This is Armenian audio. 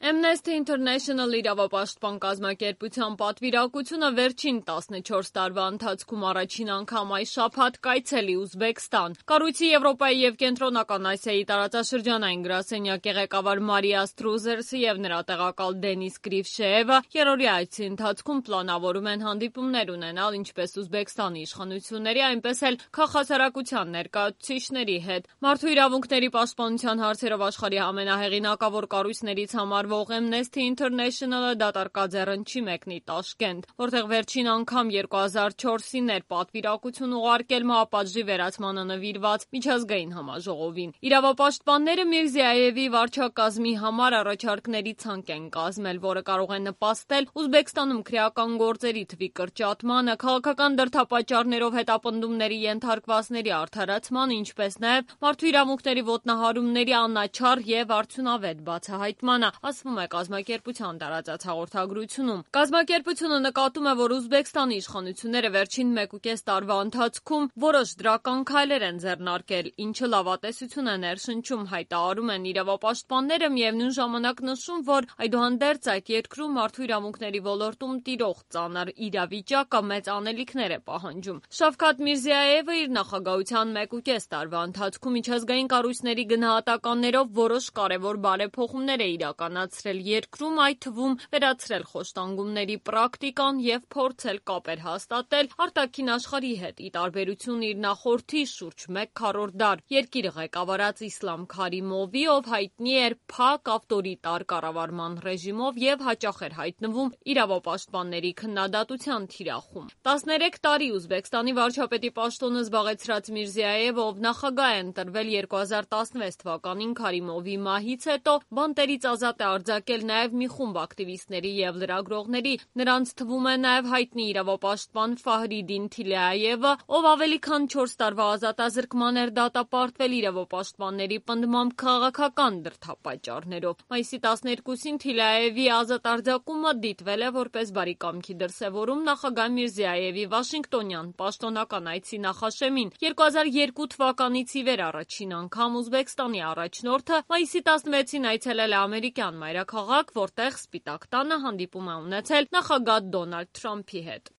Amnesty International իրավապաշտպան կազմակերպության պատվիրակությունը վերջին 14 տարվա ընթացքում առաջին անգամ այս շաբաթ կայցելի Ուզբեկստան։ Կառույցի Եվրոպայի և Կենտրոնական Ասիայի տարածաշրջանային գրասենյակի ղեկավար Մարիա Ստրուզերսը և նրա տեղակալ Դենիս Կրիվշեևը երրորդյա այցի ընթացքում պլանավորում են հանդիպումներ ունենալ ինչպես Ուզբեկստանի իշխանությունների, այնպես էլ քաղաքասարակության ներկայացուցիչների հետ։ Մարդու իրավունքների պաշտպանության հարցերով աշխարհի ամենահեղինակավոր կառույցներից համարվող Amnesty International-ը դատարկած է ռնչի մեկնի Տաշկենտ, որտեղ վերջին անգամ 2004-ին էր պատվիրակություն ուղարկել մահապատժի վերացմանը նվիրված միջազգային համաժողովին։ Իրավապաշտպանները Միրզիայևի վարչակազմի համար առաջարկների ցանկ են կազմել, որը կարող է նպաստել Ուզբեկստանում քրեական գործերի թվի կրճատմանը, քաղաքական դրդապատճառներով հետապնդումների ենթարկվածների արդարացմանը, ինչպես նաև մարդու իրավունքների ոտնահարումների անաչառ և արդյունավետ բացահայտմանը, ասվում է կազմակերպության տարածած հաղորդագրությունում։ Կազմակերպությունը նկատում է, որ Ուզբեկստանի իշխանությունները վերջին 1.5 տարվա ընթացքում որոշ դրական քայլեր են ձեռնարկել, ինչը լավատեսություն է ներշնչում, հայտարարում են իրավապաշտպանները, միևնույն ժամանակ նշում, որ այդուհանդերձ այդ երկրում մարդու իրավունքների ոլորտում տիրող ծանր իրավիճակը մեծ անելիքներ է պահանջում։ Շավքաթ Միրզիայևը իր նախագահության 1.5 տարվա ընթացքում միջազգային կառույցների գնահատականներով որոշ կարևոր բարեփոխումներ է իրականացրել երկրում, այդ թվում վերացրել խոշտանգումների պրակտիկան և փորձել կապեր հաստատել արտաքին աշխարհի հետ, ի տարբերություն իր նախորդի շուրջ 1/4 դար երկիրը ղեկավարած Իսլամ Քարիմովի, ով հայտնի էր փակ ավտորիտար կառավարման ռեժիմով և հաճախ էր հայտնվում իրավապաշտպանների քննադատության թիրախում։ 13 տարի Ուզբեկստանի վարչապետի պաշտոնը զբաղեցրած Միրզիայևը, ով նախագահ է ընտրվել 2016 թվականին Քարիմովի մահից հետո, բանտերից ազատ է արձակել նաև մի խումբ ակտիվիստների և լրագրողների, նրանց թվում է նաև հայտնի իրավապաշտպան Ֆահրիդին Թիլեայևը, ով ավելի քան 4 տարվա ազատազրկման էր դատապարտվել իրավապաշտպանների պնդմամբ քաղաքական դրդապատճառներով։ Մայիսի 12-ին Թիլեայևի ազատ արձակումը դիտվել է որպես բարի կամքի դրսևորում նախագահ Միրզիայևի վաշինգտոնյան պաշտոնական այցի նախաշեմին։ 2002 թվականից ի վեր առաջին անգամ Ուզբեկստանի առաջնորդը մայիսի 16-ին այցելել է ամերիկյան մայրաքաղաք, որտեղ Սպիտակ տանը հանդիպում է ունեցել նախագահ Դոնալդ Թրամփի հետ։